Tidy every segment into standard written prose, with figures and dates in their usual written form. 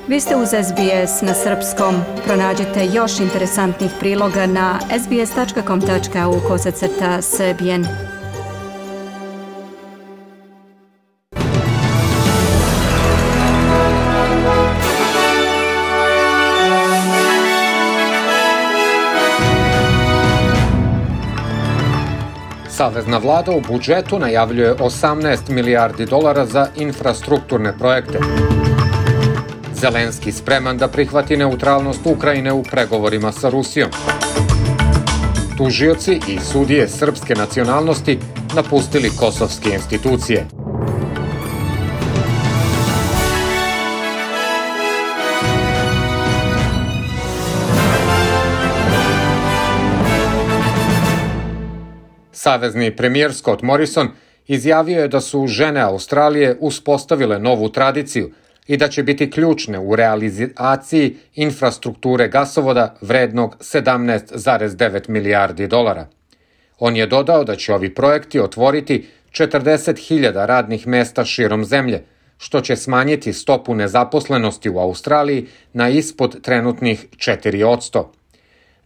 Vi ste uz SBS na srpskom. Pronađite još interesantnih priloga na sbs.com.au/srbijen. Savezna vlada u budžetu najavljuje 18 milijardi dolara za infrastrukturne projekte. Zelenski spreman da prihvati neutralnost Ukrajine u pregovorima sa Rusijom. Tužioci i sudije srpske nacionalnosti napustili kosovske institucije. Savezni premijer Scott Morrison izjavio je da su žene Australije uspostavile novu tradiciju i da će biti ključne u realizaciji infrastrukture gasovoda vrednog 17,9 milijardi dolara. On je dodao da će ovi projekti otvoriti 40.000 radnih mesta širom zemlje, što će smanjiti stopu nezaposlenosti u Australiji na ispod trenutnih 4%.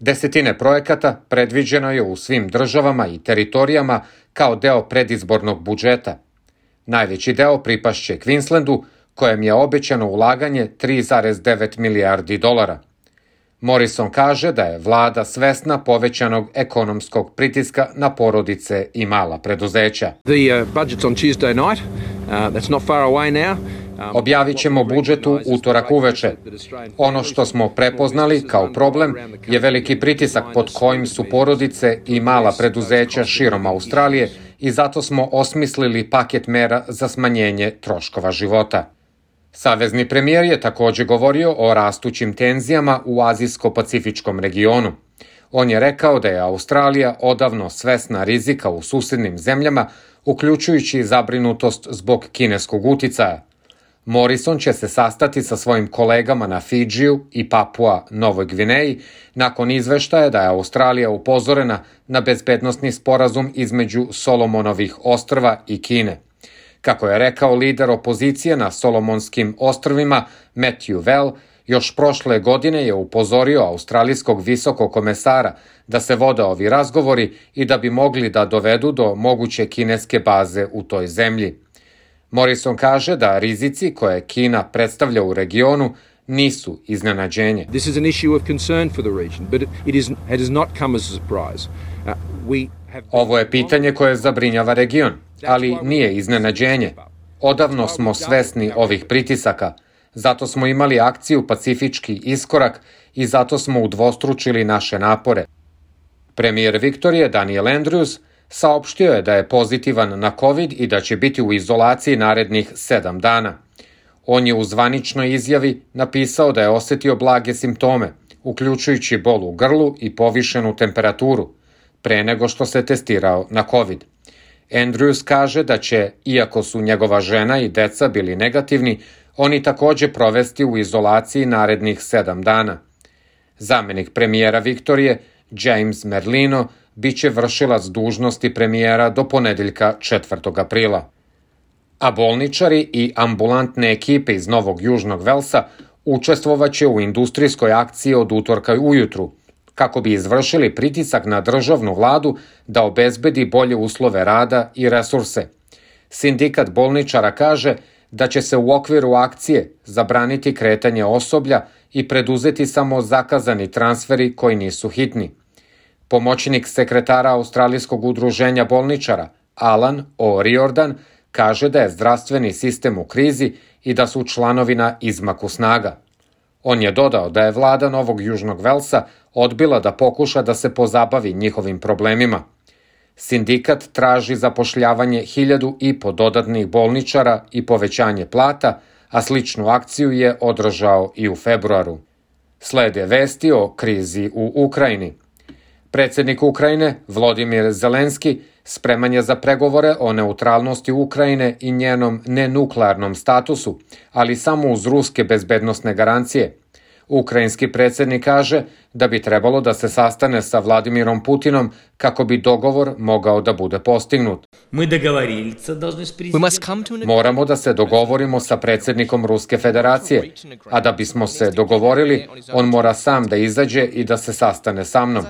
Desetine projekata predviđeno je u svim državama i teritorijama kao deo predizbornog budžeta. Najveći deo pripašće Queenslandu, kojem je obećano ulaganje 3,9 milijardi dolara. Morrison kaže da je vlada svesna povećanog ekonomskog pritiska na porodice i mala preduzeća. Objavit ćemo budžet u utorak uveče. Ono što smo prepoznali kao problem je veliki pritisak pod kojim su porodice i mala preduzeća širom Australije i zato smo osmislili paket mera za smanjenje troškova života. Savezni premijer je također govorio o rastućim tenzijama u azijsko-pacifičkom regionu. On je rekao da je Australija odavno svesna rizika u susednim zemljama, uključujući zabrinutost zbog kineskog uticaja. Morrison će se sastati sa svojim kolegama na Fidžiju i Papua Novoj Gvineji nakon izveštaja da je Australija upozorena na bezbednosni sporazum između Solomonovih ostrva i Kine. Kako je rekao lider opozicije na Solomonskim ostrvima Matthew Vell, još prošle godine je upozorio australijskog visokog komesara da se vode ovi razgovori i da bi mogli da dovedu do moguće kineske baze u toj zemlji. Morrison kaže da rizici koje Kina predstavlja u regionu nisu iznenađenje. Ovo je pitanje koje zabrinjava region, ali nije iznenađenje. Odavno smo svesni ovih pritisaka, zato smo imali akciju Pacifički iskorak i zato smo udvostručili naše napore. Premijer Viktorije Daniel Andrews saopštio je da je pozitivan na COVID i da će biti u izolaciji narednih 7 dana. On je u zvaničnoj izjavi napisao da je osetio blage simptome, uključujući bol u grlu i povišenu temperaturu, pre nego što se testirao na COVID. Andrews kaže da će, iako su njegova žena i deca bili negativni, oni također provesti u izolaciji narednih 7 dana. Zamenik premijera Viktorije, James Merlino, biće vršilac dužnosti premijera do ponedeljka 4. aprila. A bolničari i ambulantne ekipe iz Novog Južnog Velsa učestvovaće u industrijskoj akciji od utorka ujutru, kako bi izvršili pritisak na državnu vladu da obezbedi bolje uslove rada i resurse. Sindikat bolničara kaže da će se u okviru akcije zabraniti kretanje osoblja i preduzeti samo zakazani transferi koji nisu hitni. Pomoćnik sekretara Australijskog udruženja bolničara, Alan O'Riordan, kaže da je zdravstveni sistem u krizi i da su članovi na izmaku snaga. On je dodao da je vlada Novog Južnog Velsa odbila da pokuša da se pozabavi njihovim problemima. Sindikat traži zapošljavanje 1.500 dodatnih bolničara i povećanje plata, a sličnu akciju je održao i u februaru. Slede vesti o krizi u Ukrajini. Predsjednik Ukrajine, Volodymyr Zelenski, spreman je za pregovore o neutralnosti Ukrajine i njenom nenuklearnom statusu, ali samo uz ruske bezbednosne garancije. Ukrajinski predsjednik kaže da bi trebalo da se sastane sa Vladimirom Putinom kako bi dogovor mogao da bude postignut. Moramo da se dogovorimo sa predsjednikom Ruske federacije, a da bismo se dogovorili, on mora sam da izađe i da se sastane sa mnom.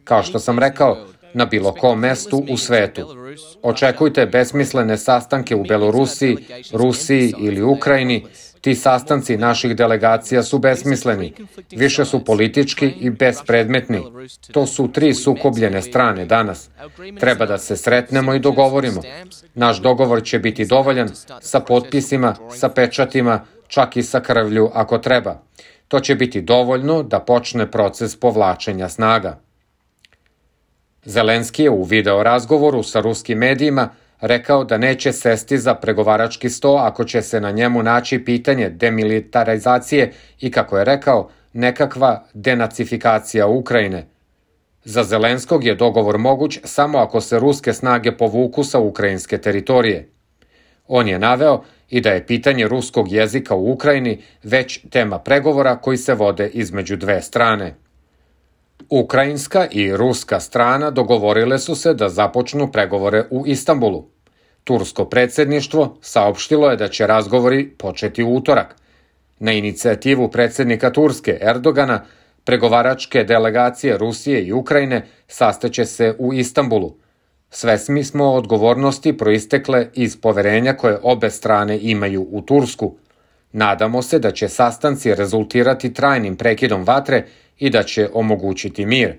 Kao što sam rekao, na bilo kom mestu u svetu. Očekujte besmislene sastanke u Belorusiji, Rusiji ili Ukrajini. Ti sastanci naših delegacija su besmisleni, više su politički i bespredmetni. To su 3 sukobljene strane danas. Treba da se sretnemo i dogovorimo. Naš dogovor će biti dovoljan sa potpisima, sa pečatima, čak i sa krvlju ako treba. To će biti dovoljno da počne proces povlačenja snaga. Zelenski je u video razgovoru sa ruskim medijima rekao da neće sesti za pregovarački sto ako će se na njemu naći pitanje demilitarizacije i, kako je rekao, nekakva denacifikacija Ukrajine. Za Zelenskog je dogovor moguć samo ako se ruske snage povuku sa ukrajinske teritorije. On je naveo i da je pitanje ruskog jezika u Ukrajini već tema pregovora koji se vode između 2 strane. Ukrajinska i ruska strana dogovorile su se da započnu pregovore u Istanbulu. Tursko predsjedništvo saopštilo je da će razgovori početi u utorak. Na inicijativu predsjednika Turske Erdogana, pregovaračke delegacije Rusije i Ukrajine sastaće se u Istanbulu. Svesni smo odgovornosti proistekle iz poverenja koje obe strane imaju u Tursku. Nadamo se da će sastanci rezultirati trajnim prekidom vatre i da će omogućiti mir,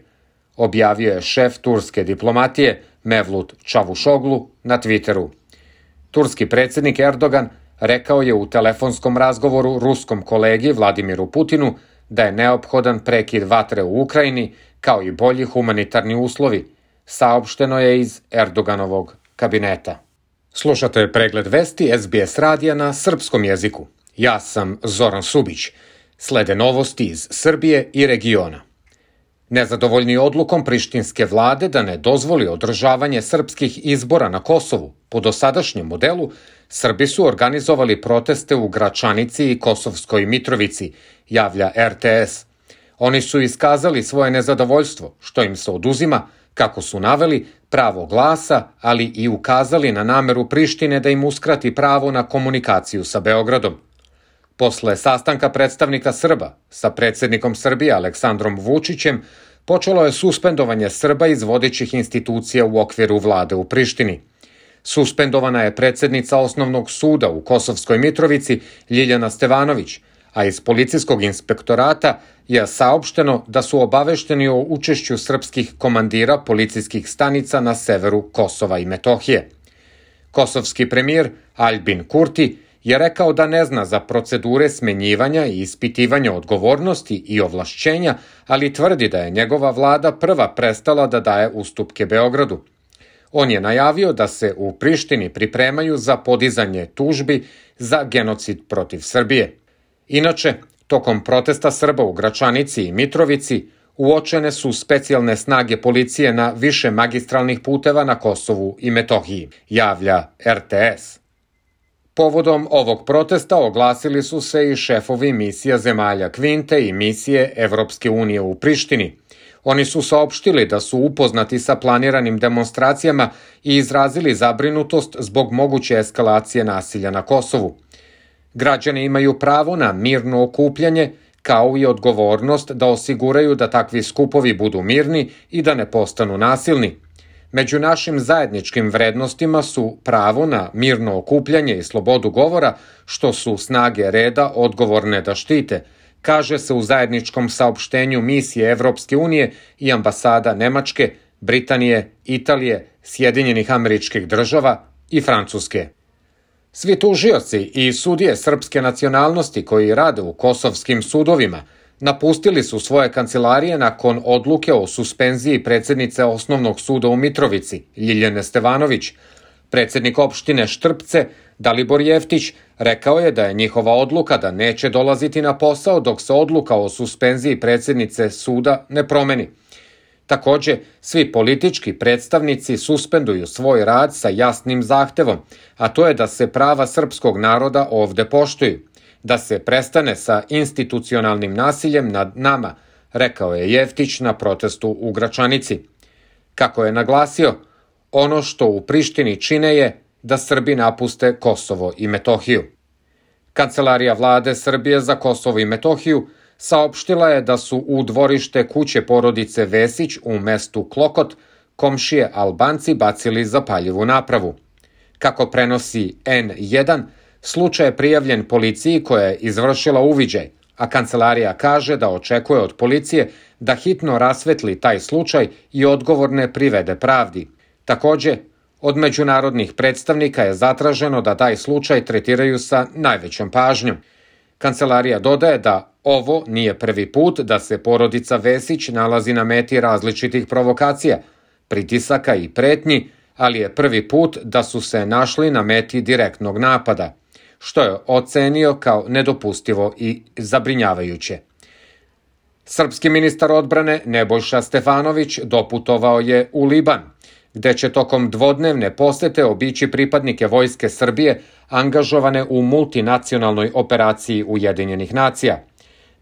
objavio je šef turske diplomatije Mevlut Čavuşoglu na Twitteru. Turski predsjednik Erdogan rekao je u telefonskom razgovoru ruskom kolegi Vladimiru Putinu da je neophodan prekid vatre u Ukrajini kao i bolji humanitarni uslovi, saopšteno je iz Erdoganovog kabineta. Slušate pregled vesti SBS radija na srpskom jeziku. Ja sam Zoran Subić. Slede novosti iz Srbije i regiona. Nezadovoljni odlukom prištinske vlade da ne dozvoli održavanje srpskih izbora na Kosovu po dosadašnjem modelu, Srbi su organizovali proteste u Gračanici i Kosovskoj Mitrovici, javlja RTS. Oni su iskazali svoje nezadovoljstvo, što im se oduzima, kako su naveli, pravo glasa, ali i ukazali na nameru Prištine da im uskrati pravo na komunikaciju sa Beogradom. Posle sastanka predstavnika Srba sa predsjednikom Srbije Aleksandrom Vučićem, počelo je suspendovanje Srba iz vodećih institucija u okviru vlade u Prištini. Suspendovana je predsjednica Osnovnog suda u Kosovskoj Mitrovici Ljiljana Stevanović, a iz policijskog inspektorata je saopšteno da su obavešteni o učešću srpskih komandira policijskih stanica na severu Kosova i Metohije. Kosovski premijer Aljbin Kurti je rekao da ne zna za procedure smenjivanja i ispitivanja odgovornosti i ovlašćenja, ali tvrdi da je njegova vlada prva prestala da daje ustupke Beogradu. On je najavio da se u Prištini pripremaju za podizanje tužbi za genocid protiv Srbije. Inače, tokom protesta Srba u Gračanici i Mitrovici uočene su specijalne snage policije na više magistralnih puteva na Kosovu i Metohiji, javlja RTS. Povodom ovog protesta oglasili su se i šefovi misija zemalja Kvinte i misije Evropske unije u Prištini. Oni su saopštili da su upoznati sa planiranim demonstracijama i izrazili zabrinutost zbog moguće eskalacije nasilja na Kosovu. Građani imaju pravo na mirno okupljanje, kao i odgovornost da osiguraju da takvi skupovi budu mirni i da ne postanu nasilni. Među našim zajedničkim vrednostima su pravo na mirno okupljanje i slobodu govora, što su snage reda odgovorne da štite, kaže se u zajedničkom saopštenju misije Evropske unije i ambasada Nemačke, Britanije, Italije, Sjedinjenih Američkih Država i Francuske. Svi tužioci i sudije srpske nacionalnosti koji rade u kosovskim sudovima napustili su svoje kancelarije nakon odluke o suspenziji predsjednice Osnovnog suda u Mitrovici, Ljiljane Stevanović. Predsjednik opštine Štrpce, Dalibor Jeftić, rekao je da je njihova odluka da neće dolaziti na posao dok se odluka o suspenziji predsjednice suda ne promeni. Takođe, svi politički predstavnici suspenduju svoj rad sa jasnim zahtevom, a to je da se prava srpskog naroda ovde poštuju. da se prestane sa institucionalnim nasiljem nad nama, rekao je Jeftić na protestu u Gračanici. Kako je naglasio, ono što u Prištini čine je da Srbi napuste Kosovo i Metohiju. Kancelarija vlade Srbije za Kosovo i Metohiju saopštila je da su u dvorište kuće porodice Vesić u mestu Klokot komšije Albanci bacili zapaljivu napravu. Kako prenosi N1, slučaj je prijavljen policiji koja je izvršila uviđaj, a kancelarija kaže da očekuje od policije da hitno rasvetli taj slučaj i odgovorne privede pravdi. Takođe, od međunarodnih predstavnika je zatraženo da taj slučaj tretiraju sa najvećom pažnjom. Kancelarija dodaje da ovo nije prvi put da se porodica Vesić nalazi na meti različitih provokacija, pritisaka i pretnji, ali je prvi put da su se našli na meti direktnog napada, što je ocenio kao nedopustivo i zabrinjavajuće. Srpski ministar odbrane Nebojša Stefanović doputovao je u Liban, gde će tokom dvodnevne posete obići pripadnike Vojske Srbije angažovane u multinacionalnoj operaciji Ujedinjenih nacija.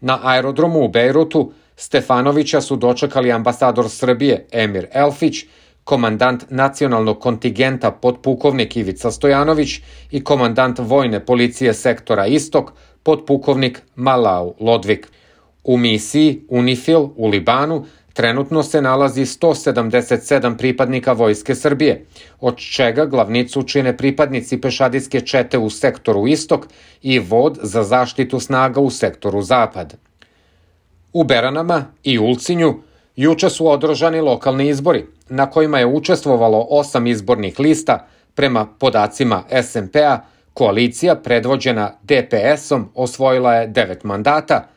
Na aerodromu u Bejrutu Stefanovića su dočekali ambasador Srbije Emir Elfić, komandant nacionalnog kontingenta podpukovnik Ivica Stojanović i komandant vojne policije sektora Istok podpukovnik Malau Lodvik. U misiji UNIFIL u Libanu trenutno se nalazi 177 pripadnika Vojske Srbije, od čega glavnicu čine pripadnici pešadijske čete u sektoru Istok i vod za zaštitu snaga u sektoru Zapad. U Beranama i Ulcinju juče su održani lokalni izbori, na kojima je učestvovalo 8 izbornih lista. Prema podacima SMP-a, koalicija predvođena DPS-om osvojila je 9 mandata,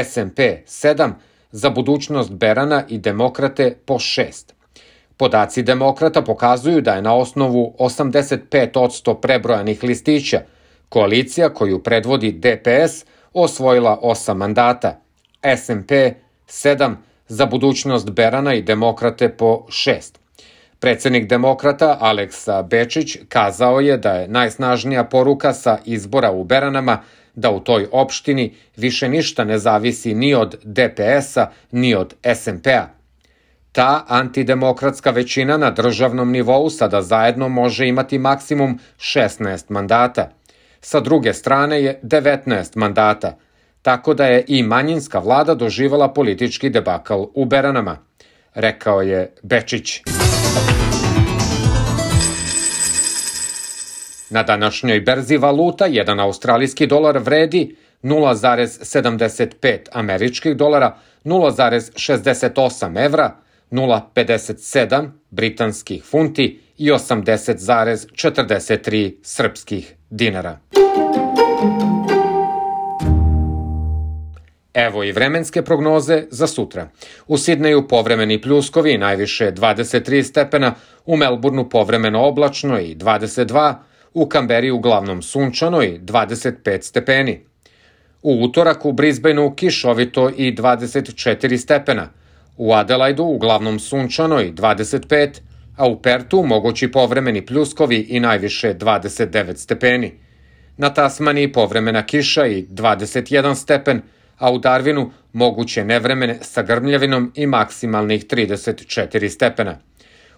SMP 7, za budućnost Berana i Demokrate po 6. Podaci Demokrata pokazuju da je na osnovu 85% prebrojanih listića koalicija koju predvodi DPS osvojila 8 mandata, SMP 7, za budućnost Berana i Demokrate po 6. Predsednik Demokrata Aleksa Bečić kazao je da je najsnažnija poruka sa izbora u Beranama da u toj opštini više ništa ne zavisi ni od DPS-a ni od SMP-a. Ta antidemokratska većina na državnom nivou sada zajedno može imati maksimum 16 mandata. Sa druge strane je 19 mandata, tako da je i manjinska vlada doživala politički debakl u Beranama, rekao je Bečić. Na današnjoj berzi valuta jedan australijski dolar vredi 0,75 američkih dolara, 0,68 evra, 0,57 britanskih funti i 80,43 srpskih dinara. Evo i vremenske prognoze za sutra. U Sidneju povremeni pljuskovi, najviše 23 stepena, u Melbourneu povremeno oblačno i 22, u Kamberi uglavnom sunčano i 25 stepeni. U utorak u Brisbaneu kišovito i 24 stepena, u Adelaidu uglavnom sunčano i 25, a u Pertu mogući povremeni pljuskovi i najviše 29 stepeni. Na Tasmaniji povremena kiša i 21 stepen, a u Darwinu moguće nevremene sa grmljavinom i maksimalnih 34 stepena.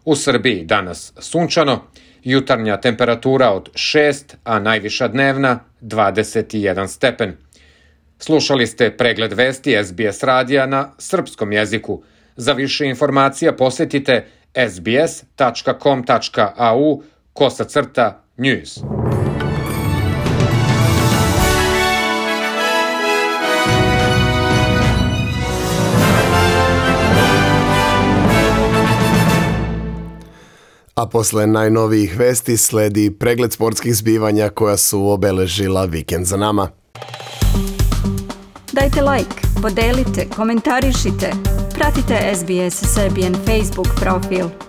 U Srbiji danas sunčano, jutarnja temperatura od 6, a najviša dnevna 21 stepen. Slušali ste pregled vesti SBS radija na srpskom jeziku. Za više informacija posetite sbs.com.au/news. A posle najnovijih vesti sledi pregled sportskih zbivanja koja su obeležila vikend za nama. Dajte like, podelite, komentarišite, pratite SBS Serbian Facebook profil.